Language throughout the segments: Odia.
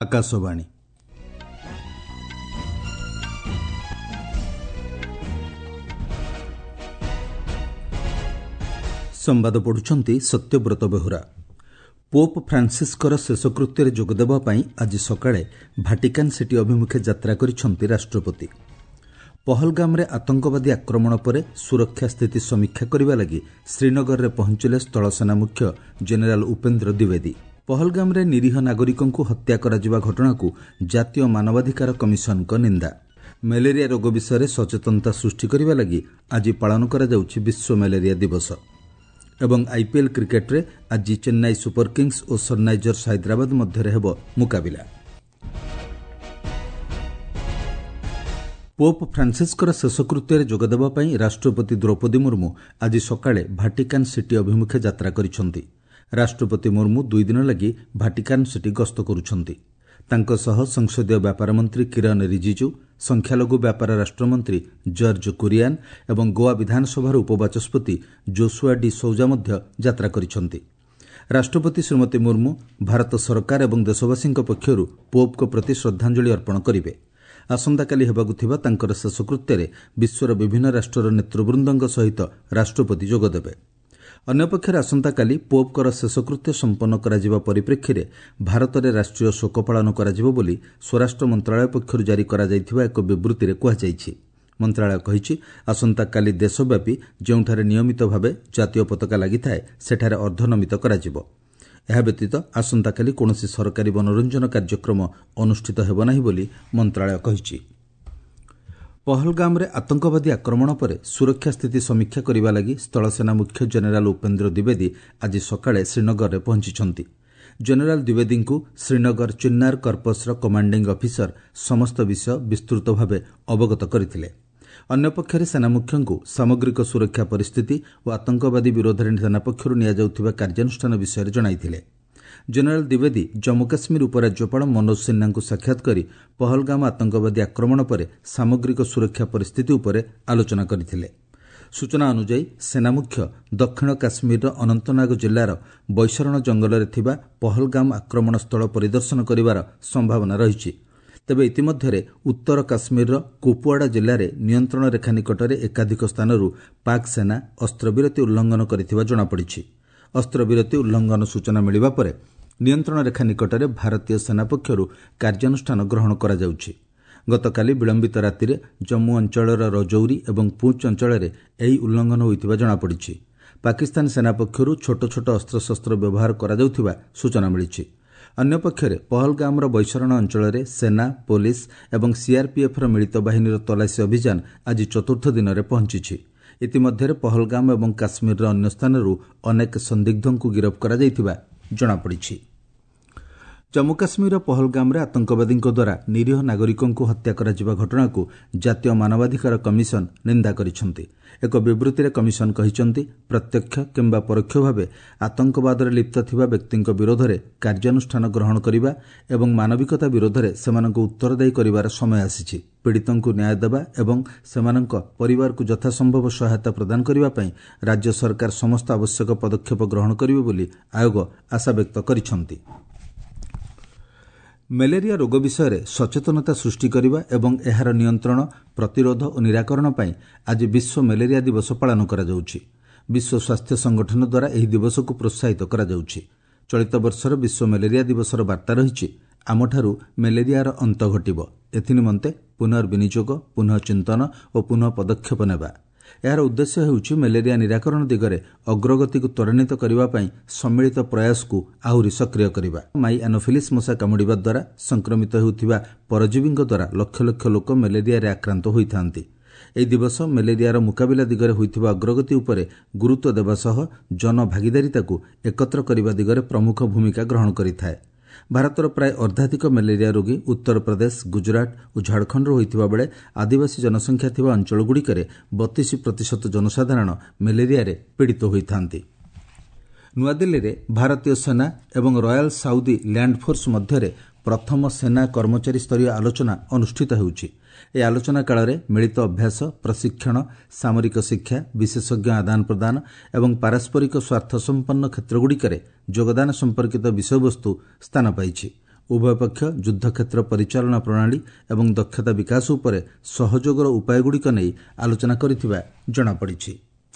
ଆକାଶବାଣୀ। ସମ୍ବାଦ ପଢୁଛନ୍ତି ସତ୍ୟବ୍ରତ ବେହୁରା। ପୋପ୍ ଫ୍ରାନ୍ସିସ୍ଙ୍କର ଶେଷକୃତ୍ୟରେ ଯୋଗଦେବା ପାଇଁ ଆଜି ସକାଳେ ଭାଟିକାନ୍ ସିଟି ଅଭିମୁଖେ ଯାତ୍ରା କରିଛନ୍ତି ରାଷ୍ଟ୍ରପତି। ପହଲଗାମରେ ଆତଙ୍କବାଦୀ ଆକ୍ରମଣ ପରେ ସୁରକ୍ଷା ସ୍ଥିତି ସମୀକ୍ଷା କରିବା ଲାଗି ଶ୍ରୀନଗରରେ ପହଞ୍ଚିଲେ ସ୍ଥଳସେନା ମୁଖ୍ୟ ଜେନେରାଲ୍ ଉପେନ୍ଦ୍ର ଦ୍ୱିବେଦୀ। ପହଲଗାମରେ ନିରୀହ ନାଗରିକଙ୍କୁ ହତ୍ୟା କରାଯିବା ଘଟଣାକୁ ଜାତୀୟ ମାନବାଧିକାର କମିଶନଙ୍କ ନିନ୍ଦା। ମ୍ୟାଲେରିଆ ରୋଗ ବିଷୟରେ ସଚେତନତା ସୃଷ୍ଟି କରିବା ଲାଗି ଆଜି ପାଳନ କରାଯାଉଛି ବିଶ୍ୱ ମ୍ୟାଲେରିଆ ଦିବସ। ଏବଂ ଆଇପିଏଲ୍ କ୍ରିକେଟ୍ରେ ଆଜି ଚେନ୍ନାଇ ସୁପର କିଙ୍ଗସ୍ ଓ ସନ୍ରାଇଜର୍ସ ହାଇଦ୍ରାବାଦ ମଧ୍ୟରେ ହେବ ମୁକାବିଲା। ପୋପ୍ ଫ୍ରାନ୍ସିସ୍ଙ୍କର ଶେଷକୃତ୍ୟରେ ଯୋଗଦେବା ପାଇଁ ରାଷ୍ଟ୍ରପତି ଦ୍ରୌପଦୀ ମୁର୍ମୁ ଆଜି ସକାଳେ ଭାଟିକାନ୍ ସିଟି ଅଭିମୁଖେ ଯାତ୍ରା କରିଛନ୍ତି। ରାଷ୍ଟ୍ରପତି ମୁର୍ମୁ 2 ଦିନ ଲାଗି ଭାଟିକାନ୍ ସିଟି ଗସ୍ତ କରୁଛନ୍ତି। ତାଙ୍କ ସହ ସଂସଦୀୟ ବ୍ୟାପାର ମନ୍ତ୍ରୀ କିରଣ ରିଜିଜୁ, ସଂଖ୍ୟାଲଘୁ ବ୍ୟାପାର ରାଷ୍ଟ୍ରମନ୍ତ୍ରୀ ଜର୍ଜ କୁରିଆନ୍ ଏବଂ ଗୋଆ ବିଧାନସଭାର ଉପବାଚସ୍ପତି ଜୋସୁଆ ଡି ସୌଜା ମଧ୍ୟ ଯାତ୍ରା କରିଛନ୍ତି। ରାଷ୍ଟ୍ରପତି ଶ୍ରୀମତୀ ମୁର୍ମୁ ଭାରତ ସରକାର ଏବଂ ଦେଶବାସୀଙ୍କ ପକ୍ଷରୁ ପୋପ୍ଙ୍କ ପ୍ରତି ଶ୍ରଦ୍ଧାଞ୍ଜଳି ଅର୍ପଣ କରିବେ। ଆସନ୍ତାକାଲି ହେବାକୁ ଥିବା ତାଙ୍କର ଶେଷକୃତ୍ୟରେ ବିଶ୍ୱର ବିଭିନ୍ନ ରାଷ୍ଟ୍ରର ନେତୃବୃନ୍ଦଙ୍କ ସହିତ ରାଷ୍ଟ୍ରପତି ଯୋଗଦେବେ। ଅନ୍ୟପକ୍ଷରେ ଆସନ୍ତାକାଲି ପୋପ୍ଙ୍କର ଶେଷକୃତ୍ୟ ସମ୍ପନ୍ନ କରାଯିବା ପରିପ୍ରେକ୍ଷୀରେ ଭାରତରେ ରାଷ୍ଟ୍ରୀୟ ଶୋକ ପାଳନ କରାଯିବ ବୋଲି ସ୍ୱରାଷ୍ଟ୍ର ମନ୍ତ୍ରଣାଳୟ ପକ୍ଷରୁ ଜାରି କରାଯାଇଥିବା ଏକ ବିବୃତ୍ତିରେ କୁହାଯାଇଛି। ମନ୍ତ୍ରଣାଳୟ କହିଛି, ଆସନ୍ତାକାଲି ଦେଶବ୍ୟାପୀ ଯେଉଁଠାରେ ନିୟମିତ ଭାବେ ଜାତୀୟ ପତାକା ଲାଗିଥାଏ, ସେଠାରେ ଅର୍ଦ୍ଧନମିତ କରାଯିବ। ଏହା ବ୍ୟତୀତ ଆସନ୍ତାକାଲି କୌଣସି ସରକାରୀ ମନୋରଞ୍ଜନ କାର୍ଯ୍ୟକ୍ରମ ଅନୁଷ୍ଠିତ ହେବ ନାହିଁ ବୋଲି ମନ୍ତ୍ରଣାଳୟ କହିଛି। ପହଲଗାମରେ ଆତଙ୍କବାଦୀ ଆକ୍ରମଣ ପରେ ସୁରକ୍ଷା ସ୍ଥିତି ସମୀକ୍ଷା କରିବା ଲାଗି ସ୍ଥଳସେନା ମୁଖ୍ୟ ଜେନେରାଲ୍ ଉପେନ୍ଦ୍ର ଦ୍ୱିବେଦୀ ଆଜି ସକାଳେ ଶ୍ରୀନଗରରେ ପହଞ୍ଚିଛନ୍ତି। ଜେନେରାଲ୍ ଦ୍ୱିବେଦୀଙ୍କୁ ଶ୍ରୀନଗର ଚିନ୍ନାର କର୍ପସ୍ର କମାଣ୍ଡିଂ ଅଫିସର ସମସ୍ତ ବିଷୟ ବିସ୍ତୃତ ଭାବେ ଅବଗତ କରିଥିଲେ। ଅନ୍ୟପକ୍ଷରେ ସେନାମୁଖ୍ୟଙ୍କୁ ସାମଗ୍ରିକ ସୁରକ୍ଷା ପରିସ୍ଥିତି ଓ ଆତଙ୍କବାଦୀ ବିରୋଧରେ ସେନା ପକ୍ଷରୁ ନିଆଯାଉଥିବା କାର୍ଯ୍ୟାନୁଷ୍ଠାନ ବିଷୟରେ ଜଣାଇଥିଲେ। ଜେନେରାଲ୍ ଦ୍ୱିବେଦୀ ଜମ୍ମୁ କାଶ୍ମୀର ଉପରାଜ୍ୟପାଳ ମନୋଜ ସିହ୍ନାଙ୍କୁ ସାକ୍ଷାତ କରି ପହଲଗାମ ଆତଙ୍କବାଦୀ ଆକ୍ରମଣ ପରେ ସାମଗ୍ରିକ ସୁରକ୍ଷା ପରିସ୍ଥିତି ଉପରେ ଆଲୋଚନା କରିଥିଲେ। ସୂଚନା ଅନୁଯାୟୀ, ସେନାମୁଖ୍ୟ ଦକ୍ଷିଣ କାଶ୍ମୀରର ଅନନ୍ତନାଗ ଜିଲ୍ଲାର ବୈଶରଣ ଜଙ୍ଗଲରେ ଥିବା ପହଲଗାମ ଆକ୍ରମଣ ସ୍ଥଳ ପରିଦର୍ଶନ କରିବାର ସମ୍ଭାବନା ରହିଛି। ତେବେ ଇତିମଧ୍ୟରେ ଉତ୍ତର କାଶ୍ମୀରର କୁପୁୱାଡ଼ା ଜିଲ୍ଲାରେ ନିୟନ୍ତ୍ରଣ ରେଖା ନିକଟରେ ଏକାଧିକ ସ୍ଥାନରୁ ପାକ୍ ସେନା ଅସ୍ତ୍ରବିରତି ଉଲ୍ଲଂଘନ କରିଥିବା ଜଣାପଡ଼ିଛି। ଅସ୍ତ୍ରବିରତି ଉଲ୍ଲଂଘନ ସୂଚନା ମିଳିବା ପରେ ନିୟନ୍ତ୍ରଣ ରେଖା ନିକଟରେ ଭାରତୀୟ ସେନା ପକ୍ଷରୁ କାର୍ଯ୍ୟାନୁଷ୍ଠାନ ଗ୍ରହଣ କରାଯାଉଛି। ଗତକାଲି ବିଳମ୍ବିତ ରାତିରେ ଜମ୍ମୁ ଅଞ୍ଚଳର ରଜୌରୀ ଏବଂ ପୁଞ୍ଚ ଅଞ୍ଚଳରେ ଏହି ଉଲ୍ଲଂଘନ ହୋଇଥିବା ଜଣାପଡ଼ିଛି। ପାକିସ୍ତାନ ସେନା ପକ୍ଷରୁ ଛୋଟ ଛୋଟ ଅସ୍ତ୍ରଶସ୍ତ୍ର ବ୍ୟବହାର କରାଯାଉଥିବା ସୂଚନା ମିଳିଛି। ଅନ୍ୟପକ୍ଷରେ ପହଲଗାମର ବୈଶରଣ ଅଞ୍ଚଳରେ ସେନା, ପୋଲିସ ଏବଂ ସିଆର୍ପିଏଫ୍ର ମିଳିତ ବାହିନୀର ତଲାସୀ ଅଭିଯାନ ଆଜି ଚତୁର୍ଥ ଦିନରେ ପହଞ୍ଚିଛି। ଇତିମଧ୍ୟରେ ପହଲଗାମ ଏବଂ କାଶ୍ମୀରର ଅନ୍ୟ ସ୍ଥାନରୁ ଅନେକ ସନ୍ଦିଗ୍ଧଙ୍କୁ ଗିରଫ କରାଯାଇଥିବା ଜଣାପଡ଼ିଛି। ଜମ୍ମୁ କାଶ୍ମୀରର ପହଲଗାମରେ ଆତଙ୍କବାଦୀଙ୍କ ଦ୍ୱାରା ନିରୀହ ନାଗରିକଙ୍କୁ ହତ୍ୟା କରାଯିବା ଘଟଣାକୁ ଜାତୀୟ ମାନବାଧିକାର କମିଶନ ନିନ୍ଦା କରିଛନ୍ତି। ଏକ ବିବୃତ୍ତିରେ କମିଶନ କହିଛନ୍ତି, ପ୍ରତ୍ୟକ୍ଷ କିମ୍ବା ପରୋକ୍ଷ ଭାବେ ଆତଙ୍କବାଦରେ ଲିପ୍ତ ଥିବା ବ୍ୟକ୍ତିଙ୍କ ବିରୋଧରେ କାର୍ଯ୍ୟାନୁଷ୍ଠାନ ଗ୍ରହଣ କରିବା ଏବଂ ମାନବିକତା ବିରୋଧରେ ସେମାନଙ୍କୁ ଉତ୍ତରଦାୟୀ କରିବାର ସମୟ ଆସିଛି। ପୀଡ଼ିତଙ୍କୁ ନ୍ୟାୟ ଦେବା ଏବଂ ସେମାନଙ୍କ ପରିବାରକୁ ଯଥାସମ୍ଭବ ସହାୟତା ପ୍ରଦାନ କରିବା ପାଇଁ ରାଜ୍ୟ ସରକାର ସମସ୍ତ ଆବଶ୍ୟକ ପଦକ୍ଷେପ ଗ୍ରହଣ କରିବେ ବୋଲି ଆୟୋଗ ଆଶାବ୍ୟକ୍ତ କରିଛନ୍ତି। ମ୍ୟାଲେରିଆ ରୋଗ ବିଷୟରେ ସଚେତନତା ସୃଷ୍ଟି କରିବା ଏବଂ ଏହାର ନିୟନ୍ତ୍ରଣ, ପ୍ରତିରୋଧ ଓ ନିରାକରଣ ପାଇଁ ଆଜି ବିଶ୍ୱ ମ୍ୟାଲେରିଆ ଦିବସ ପାଳନ କରାଯାଉଛି। ବିଶ୍ୱ ସ୍ୱାସ୍ଥ୍ୟ ସଂଗଠନ ଦ୍ୱାରା ଏହି ଦିବସକୁ ପ୍ରୋତ୍ସାହିତ କରାଯାଉଛି। ଚଳିତ ବର୍ଷର ବିଶ୍ୱ ମ୍ୟାଲେରିଆ ଦିବସର ବାର୍ତ୍ତା ରହିଛି, ଆମଠାରୁ ମ୍ୟାଲେରିଆର ଅନ୍ତ ଘଟିବ, ଏଥିନିମନ୍ତେ ପୁନର୍ବିନିଯୋଗ, ପୁନଃ ଚିନ୍ତନ ଓ ପୁନଃ ପଦକ୍ଷେପ ନେବା। ଏହାର ଉଦ୍ଦେଶ୍ୟ ହେଉଛି ମ୍ୟାଲେରିଆ ନିରାକରଣ ଦିଗରେ ଅଗ୍ରଗତିକୁ ତ୍ୱରାନ୍ୱିତ କରିବା ପାଇଁ ସମ୍ମିଳିତ ପ୍ରୟାସକୁ ଆହୁରି ସକ୍ରିୟ କରିବା। ମାଇ ଆନୋଫିଲିସ୍ ମଶା କାମୁଡ଼ିବା ଦ୍ୱାରା ସଂକ୍ରମିତ ହେଉଥିବା ପରଜୀବୀଙ୍କ ଦ୍ୱାରା ଲକ୍ଷ ଲକ୍ଷ ଲୋକ ମ୍ୟାଲେରିଆରେ ଆକ୍ରାନ୍ତ ହୋଇଥାନ୍ତି। ଏହି ଦିବସ ମ୍ୟାଲେରିଆର ମୁକାବିଲା ଦିଗରେ ହୋଇଥିବା ଅଗ୍ରଗତି ଉପରେ ଗୁରୁତ୍ୱ ଦେବା ସହ ଜନଭାଗିଦାରିତାକୁ ଏକତ୍ର କରିବା ଦିଗରେ ପ୍ରମୁଖ ଭୂମିକା ଗ୍ରହଣ କରିଥାଏ। ଭାରତର ପ୍ରାୟ ଅର୍ଦ୍ଧାଧିକ ମ୍ୟାଲେରିଆ ରୋଗୀ ଉତ୍ତରପ୍ରଦେଶ, ଗୁଜରାଟ ଓ ଝାଡ଼ଖଣ୍ଡରୁ ହୋଇଥିବା ବେଳେ ଆଦିବାସୀ ଜନସଂଖ୍ୟା ଥିବା ଅଞ୍ଚଳଗୁଡ଼ିକରେ 32% ଜନସାଧାରଣ ମ୍ୟାଲେରିଆରେ ପୀଡ଼ିତ ହୋଇଥାନ୍ତି। ନୂଆଦିଲ୍ଲୀରେ ଭାରତୀୟ ସେନା ଏବଂ ରୟାଲ୍ ସାଉଦି ଲ୍ୟାଣ୍ଡ ଫୋର୍ସ ମଧ୍ୟରେ ପ୍ରଥମ ସେନା କର୍ମଚାରୀ ସ୍ତରୀୟ ଆଲୋଚନା ଅନୁଷ୍ଠିତ ହେଉଛି। ଏହି ଆଲୋଚନା କାଳରେ ମିଳିତ ଅଭ୍ୟାସ, ପ୍ରଶିକ୍ଷଣ, ସାମରିକ ଶିକ୍ଷା, ବିଶେଷଜ୍ଞ ଆଦାନ ପ୍ରଦାନ ଏବଂ ପାରସ୍ପରିକ ସ୍ୱାର୍ଥସମ୍ପନ୍ନ କ୍ଷେତ୍ରଗୁଡ଼ିକରେ ଯୋଗଦାନ ସମ୍ପର୍କିତ ବିଷୟବସ୍ତୁ ସ୍ଥାନ ପାଇଛି। ଉଭୟ ପକ୍ଷ ଯୁଦ୍ଧକ୍ଷେତ୍ର ପରିଚାଳନା ପ୍ରଣାଳୀ ଏବଂ ଦକ୍ଷତା ବିକାଶ ଉପରେ ସହଯୋଗର ଉପାୟଗୁଡ଼ିକ ନେଇ ଆଲୋଚନା କରିଥିବା ଜଣାପଡ଼ିଛି।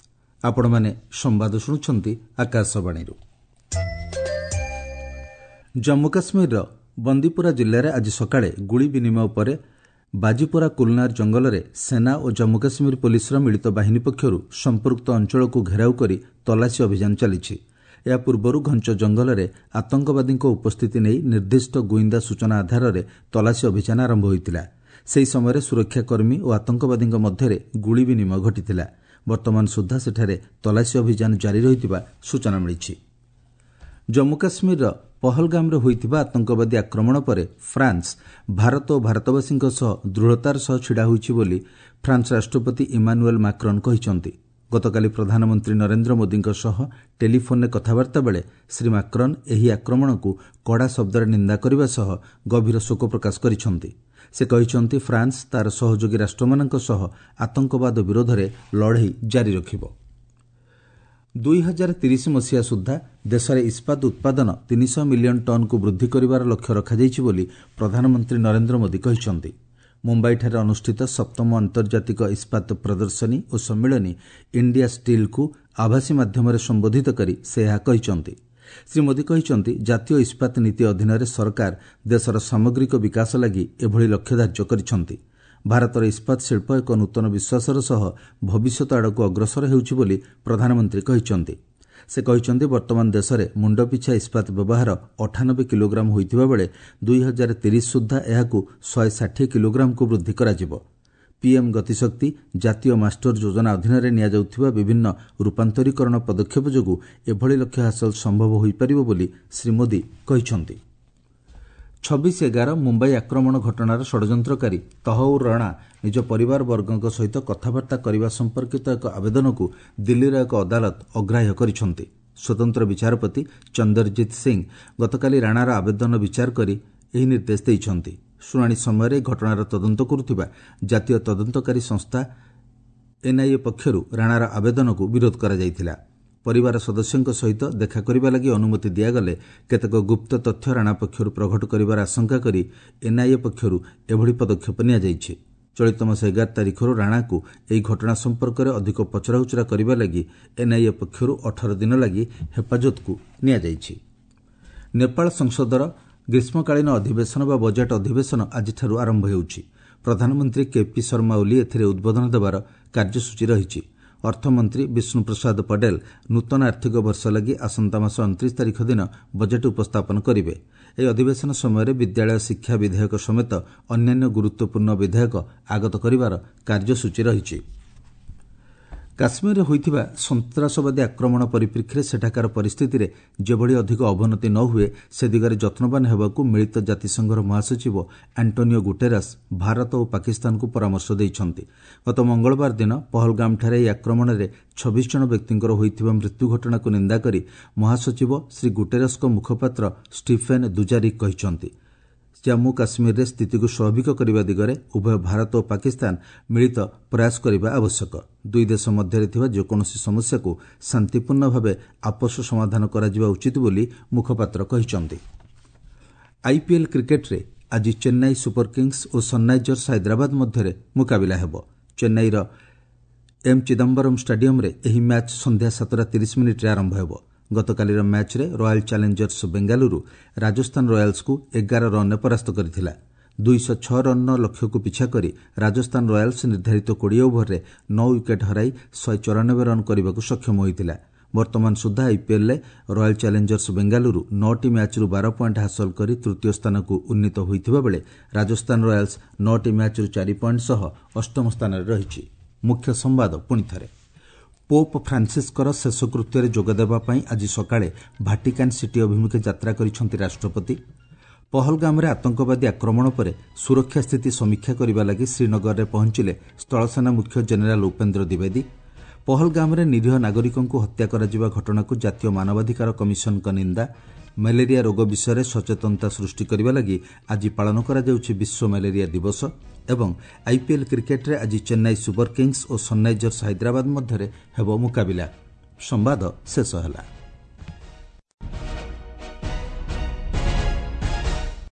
ଆପଣମାନେ ସମ୍ବାଦ ଶୁଣୁଛନ୍ତି ଆକାଶବାଣୀରୁ। ଜମ୍ମୁ କାଶ୍ମୀରର ବନ୍ଦିପୁରା ଜିଲ୍ଲାରେ ଆଜି ସକାଳେ ଗୁଳି ବିନିମୟ ପରେ ବାଜିପୁରା କୁଲନାର ଜଙ୍ଗଲରେ ସେନା ଓ ଜମ୍ମୁ କାଶ୍ମୀର ପୋଲିସର ମିଳିତ ବାହିନୀ ପକ୍ଷରୁ ସମ୍ପୃକ୍ତ ଅଞ୍ଚଳକୁ ଘେରାଉ କରି ତଲାସୀ ଅଭିଯାନ ଚାଲିଛି। ଏହା ପୂର୍ବରୁ ଘଞ୍ଚ ଜଙ୍ଗଲରେ ଆତଙ୍କବାଦୀଙ୍କ ଉପସ୍ଥିତି ନେଇ ନିର୍ଦ୍ଦିଷ୍ଟ ଗୁଇନ୍ଦା ସୂଚନା ଆଧାରରେ ତଲାସୀ ଅଭିଯାନ ଆରମ୍ଭ ହୋଇଥିଲା। ସେହି ସମୟରେ ସୁରକ୍ଷାକର୍ମୀ ଓ ଆତଙ୍କବାଦୀଙ୍କ ମଧ୍ୟରେ ଗୁଳି ବିନିମୟ ଘଟିଥିଲା। ବର୍ତ୍ତମାନ ସୁଦ୍ଧା ସେଠାରେ ତଲାସୀ ଅଭିଯାନ ଜାରି ରହିଥିବା ସୂଚନା ମିଳିଛି। ଜମ୍ମୁ କାଶ୍ମୀରର ପହଲଗାମରେ ହୋଇଥିବା ଆତଙ୍କବାଦୀ ଆକ୍ରମଣ ପରେ ଫ୍ରାନ୍ସ ଭାରତ ଓ ଭାରତବାସୀଙ୍କ ସହ ଦୃଢ଼ତାର ସହ ଛିଡ଼ା ହୋଇଛି ବୋଲି ଫ୍ରାନ୍ସ ରାଷ୍ଟ୍ରପତି ଇମାନୁଏଲ୍ ମାକ୍ରନ୍ କହିଛନ୍ତି। ଗତକାଲି ପ୍ରଧାନମନ୍ତ୍ରୀ ନରେନ୍ଦ୍ର ମୋଦିଙ୍କ ସହ ଟେଲିଫୋନ୍ରେ କଥାବାର୍ତ୍ତା ବେଳେ ଶ୍ରୀ ମାକ୍ରନ୍ ଏହି ଆକ୍ରମଣକୁ କଡ଼ା ଶବ୍ଦରେ ନିନ୍ଦା କରିବା ସହ ଗଭୀର ଶୋକ ପ୍ରକାଶ କରିଛନ୍ତି। ସେ କହିଛନ୍ତି, ଫ୍ରାନ୍ସ ତା'ର ସହଯୋଗୀ ରାଷ୍ଟ୍ରମାନଙ୍କ ସହ ଆତଙ୍କବାଦ ବିରୋଧରେ ଲଢ଼େଇ ଜାରି ରଖିବ। 2030 ମସିହା ସୁଦ୍ଧା ଦେଶରେ ଇସ୍ପାତ ଉତ୍ପାଦନ 300 ମିଲିୟନ୍ ଟନ୍କୁ ବୃଦ୍ଧି କରିବାର ଲକ୍ଷ୍ୟ ରଖାଯାଇଛି ବୋଲି ପ୍ରଧାନମନ୍ତ୍ରୀ ନରେନ୍ଦ୍ର ମୋଦି କହିଛନ୍ତି। ମୁମ୍ବାଇଠାରେ ଅନୁଷ୍ଠିତ ସପ୍ତମ ଆନ୍ତର୍ଜାତିକ ଇସ୍ପାତ ପ୍ରଦର୍ଶନୀ ଓ ସମ୍ମିଳନୀ ଇଣ୍ଡିଆ ଷ୍ଟିଲ୍କୁ ଆଭାସୀ ମାଧ୍ୟମରେ ସମ୍ବୋଧିତ କରି ସେ ଏହା କହିଛନ୍ତି। ଶ୍ରୀ ମୋଦି କହିଛନ୍ତି, ଜାତୀୟ ଇସ୍ପାତ ନୀତି ଅଧୀନରେ ସରକାର ଦେଶର ସାମଗ୍ରିକ ବିକାଶ ଲାଗି ଏଭଳି ଲକ୍ଷ୍ୟ ଧାର୍ଯ୍ୟ କରିଛନ୍ତି। ଭାରତର ଇସ୍ପାତ ଶିଳ୍ପ ଏକ ନୂତନ ବିଶ୍ୱାସର ସହ ଭବିଷ୍ୟତ ଆଡ଼କୁ ଅଗ୍ରସର ହେଉଛି ବୋଲି ପ୍ରଧାନମନ୍ତ୍ରୀ କହିଛନ୍ତି। ସେ କହିଛନ୍ତି, ବର୍ତ୍ତମାନ ଦେଶରେ ମୁଣ୍ଡପିଛା ଇସ୍ପାତ ବ୍ୟବହାର 98 କିଲୋଗ୍ରାମ ହୋଇଥିବା ବେଳେ 2030 ସୁଦ୍ଧା ଏହାକୁ 160 କିଲୋଗ୍ରାମକୁ ବୃଦ୍ଧି କରାଯିବ। ପିଏମ୍ ଗତିଶକ୍ତି ଜାତୀୟ ମାଷ୍ଟର ଯୋଜନା ଅଧୀନରେ ନିଆଯାଉଥିବା ବିଭିନ୍ନ ରୂପାନ୍ତରୀକରଣ ପଦକ୍ଷେପ ଯୋଗୁଁ ଏଭଳି ଲକ୍ଷ୍ୟ ହାସଲ ସମ୍ଭବ ହୋଇପାରିବ ବୋଲି ଶ୍ରୀ ମୋଦି କହିଛନ୍ତି। 26/11 ମୁମ୍ବାଇ ଆକ୍ରମଣ ଘଟଣାର ଷଡ଼ଯନ୍ତ୍ରକାରୀ ତହଉର ରାଣା ନିଜ ପରିବାରବର୍ଗଙ୍କ ସହିତ କଥାବାର୍ତ୍ତା କରିବା ସମ୍ପର୍କିତ ଏକ ଆବେଦନକୁ ଦିଲ୍ଲୀର ଏକ ଅଦାଲତ ଅଗ୍ରାହ୍ୟ କରିଛନ୍ତି। ସ୍ୱତନ୍ତ୍ର ବିଚାରପତି ଚନ୍ଦରଜିତ୍ ସିଂ ଗତକାଲି ରାଣାର ଆବେଦନ ବିଚାର କରି ଏହି ନିର୍ଦ୍ଦେଶ ଦେଇଛନ୍ତି। ଶୁଣାଣି ସମୟରେ ଏହି ଘଟଣାର ତଦନ୍ତ କରୁଥିବା ଜାତୀୟ ତଦନ୍ତକାରୀ ସଂସ୍ଥା ଏନ୍ଆଇଏ ପକ୍ଷରୁ ରାଣାର ଆବେଦନକୁ ବିରୋଧ କରାଯାଇଥିଲା। ପରିବାର ସଦସ୍ୟଙ୍କ ସହିତ ଦେଖା କରିବା ଲାଗି ଅନୁମତି ଦିଆଗଲେ କେତେକ ଗୁପ୍ତ ତଥ୍ୟ ରାଣା ପକ୍ଷରୁ ପ୍ରଘଟ କରିବାର ଆଶଙ୍କା କରି ଏନ୍ଆଇଏ ପକ୍ଷରୁ ଏଭଳି ପଦକ୍ଷେପ ନିଆଯାଇଛି। ଚଳିତ ମାସ 11 ତାରିଖରୁ ରାଣାକୁ ଏହି ଘଟଣା ସମ୍ପର୍କରେ ଅଧିକ ପଚରାଉଚରା କରିବା ଲାଗି ଏନ୍ଆଇଏ ପକ୍ଷରୁ 18 ଦିନ ଲାଗି ହେଫାଜତକୁ ନିଆଯାଇଛି। ନେପାଳ ସଂସଦର ଗ୍ରୀଷ୍ମକାଳୀନ ଅଧିବେଶନ ବା ବଜେଟ୍ ଅଧିବେଶନ ଆଜିଠାରୁ ଆରମ୍ଭ ହେଉଛି। ପ୍ରଧାନମନ୍ତ୍ରୀ କେପି ଶର୍ମା ଓଲି ଏଥିରେ ଉଦ୍ବୋଧନ ଦେବାର କାର୍ଯ୍ୟସୂଚୀ ରହିଛି। ଅର୍ଥମନ୍ତ୍ରୀ ବିଷ୍ଣୁପ୍ରସାଦ ପଟେଲ ନୂତନ ଆର୍ଥିକ ବର୍ଷ ଲାଗି ଆସନ୍ତା ମାସ 29 ତାରିଖ ଦିନ ବଜେଟ୍ ଉପସ୍ଥାପନ କରିବେ। ଏହି ଅଧିବେଶନ ସମୟରେ ବିଦ୍ୟାଳୟ ଶିକ୍ଷା ବିଧେୟକ ସମେତ ଅନ୍ୟାନ୍ୟ ଗୁରୁତ୍ୱପୂର୍ଣ୍ଣ ବିଧେୟକ ଆଗତ କରିବାର କାର୍ଯ୍ୟସୂଚୀ ରହିଛି। କାଶ୍ମୀରରେ ହୋଇଥିବା ସନ୍ତାସବାଦୀ ଆକ୍ରମଣ ପରିପ୍ରେକ୍ଷୀରେ ସେଠାକାର ପରିସ୍ଥିତିରେ ଯେଭଳି ଅଧିକ ଅବନତି ନ ହୁଏ ସେ ଦିଗରେ ଯତ୍ନବାନ ହେବାକୁ ମିଳିତ ଜାତିସଂଘର ମହାସଚିବ ଆଣ୍ଟୋନିଓ ଗୁଟେରସ୍ ଭାରତ ଓ ପାକିସ୍ତାନକୁ ପରାମର୍ଶ ଦେଇଛନ୍ତି। ଗତ ମଙ୍ଗଳବାର ଦିନ ପହଲଗାମଠାରେ ଏହି ଆକ୍ରମଣରେ 26 ଜଣ ବ୍ୟକ୍ତିଙ୍କର ହୋଇଥିବା ମୃତ୍ୟୁ ଘଟଣାକୁ ନିନ୍ଦା କରି ମହାସଚିବ ଶ୍ରୀ ଗୁଟେରସ୍ଙ୍କ ମୁଖପାତ୍ର ଷ୍ଟିଫେନ୍ ଦୁଜାରିକ୍ କହିଛନ୍ତି, ଜାମ୍ମୁ କାଶ୍ମୀରରେ ସ୍ଥିତିକୁ ସ୍ୱାଭାବିକ କରିବା ଦିଗରେ ଉଭୟ ଭାରତ ଓ ପାକିସ୍ତାନ ମିଳିତ ପ୍ରୟାସ କରିବା ଆବଶ୍ୟକ। ଦୁଇ ଦେଶ ମଧ୍ୟରେ ଥିବା ଯେକୌଣସି ସମସ୍ୟାକୁ ଶାନ୍ତିପୂର୍ଣ୍ଣ ଭାବେ ଆପୋଷ ସମାଧାନ କରାଯିବା ଉଚିତ ବୋଲି ମୁଖପାତ୍ର କହିଛନ୍ତି। ଆଇପିଏଲ୍ କ୍ରିକେଟ୍ରେ ଆଜି ଚେନ୍ନାଇ ସୁପର କିଙ୍ଗସ୍ ଓ ସନ୍ରାଇଜର୍ସ ହାଇଦ୍ରାବାଦ ମଧ୍ୟରେ ମୁକାବିଲା ହେବ। ଚେନ୍ନାଇର ଏମ୍ ଚିଦାମ୍ବରମ୍ ଷ୍ଟାଡିୟମ୍ରେ ଏହି ମ୍ୟାଚ୍ ସନ୍ଧ୍ୟା 7:30 ଆରମ୍ଭ ହେବ। ଗତକାଲିର ମ୍ୟାଚ୍ରେ ରୟାଲ୍ ଚ୍ୟାଲେଞ୍ଜର୍ସ ବେଙ୍ଗାଲୁରୁ ରାଜସ୍ଥାନ ରୟାଲ୍ସକୁ 11 ରନ୍ରେ ପରାସ୍ତ କରିଥିଲା। 206 ରନ୍ର ଲକ୍ଷ୍ୟକୁ ପିଛା କରି ରାଜସ୍ଥାନ ରୟାଲ୍ସ ନିର୍ଦ୍ଧାରିତ 20 ଓଭରରେ 9 ୱିକେଟ୍ ହରାଇ 194 ରନ୍ କରିବାକୁ ସକ୍ଷମ ହୋଇଥିଲା। ବର୍ତ୍ତମାନ ସୁଦ୍ଧା ଆଇପିଏଲ୍ରେ ରୟାଲ୍ ଚ୍ୟାଲେଞ୍ଜର୍ସ ବେଙ୍ଗାଲୁରୁ 9ଟି ମ୍ୟାଚ୍ରୁ 12 ପଏଣ୍ଟ ହାସଲ କରି ତୃତୀୟ ସ୍ଥାନକୁ ଉନ୍ନୀତ ହୋଇଥିବା ବେଳେ ରାଜସ୍ଥାନ ରୟାଲ୍ସ 9ଟି ମ୍ୟାଚ୍ରୁ 4 ପଏଣ୍ଟ ସହ ଅଷ୍ଟମ ସ୍ଥାନରେ ରହିଛି। ମୁଖ୍ୟ ସମ୍ବାଦ ପୁଣିଥରେ। ପୋପ୍ ଫ୍ରାନ୍ସିସ୍ଙ୍କର ଶେଷକୃତ୍ୟରେ ଯୋଗଦେବା ପାଇଁ ଆଜି ସକାଳେ ଭାଟିକାନ୍ ସିଟି ଅଭିମୁଖେ ଯାତ୍ରା କରିଛନ୍ତି ରାଷ୍ଟ୍ରପତି। ପହଲଗାମରେ ଆତଙ୍କବାଦୀ ଆକ୍ରମଣ ପରେ ସୁରକ୍ଷା ସ୍ଥିତି ସମୀକ୍ଷା କରିବା ଲାଗି ଶ୍ରୀନଗରରେ ପହଞ୍ଚିଲେ ସ୍ଥଳସେନା ମୁଖ୍ୟ ଜେନେରାଲ୍ ଉପେନ୍ଦ୍ର ଦ୍ୱିବେଦୀ। ପହଲଗାମରେ ନିରୀହ ନାଗରିକଙ୍କୁ ହତ୍ୟା କରାଯିବା ଘଟଣାକୁ ଜାତୀୟ ମାନବାଧିକାର କମିଶନଙ୍କ ନିନ୍ଦା। ମ୍ୟାଲେରିଆ ରୋଗ ବିଷୟରେ ସଚେତନତା ସୃଷ୍ଟି କରିବା ଲାଗି ଆଜି ପାଳନ କରାଯାଉଛି ବିଶ୍ୱ ମ୍ୟାଲେରିଆ ଦିବସ। ଏବଂ ଆଇପିଏଲ୍ କ୍ରିକେଟ୍ରେ ଆଜି ଚେନ୍ନାଇ ସୁପର କିଙ୍ଗସ୍ ଓ ସନ୍ରାଇଜର୍ସ ହାଇଦ୍ରାବାଦ ମଧ୍ୟରେ ହେବ ମୁକାବିଲା। ସମ୍ବାଦ ଶେଷ ହେଲା।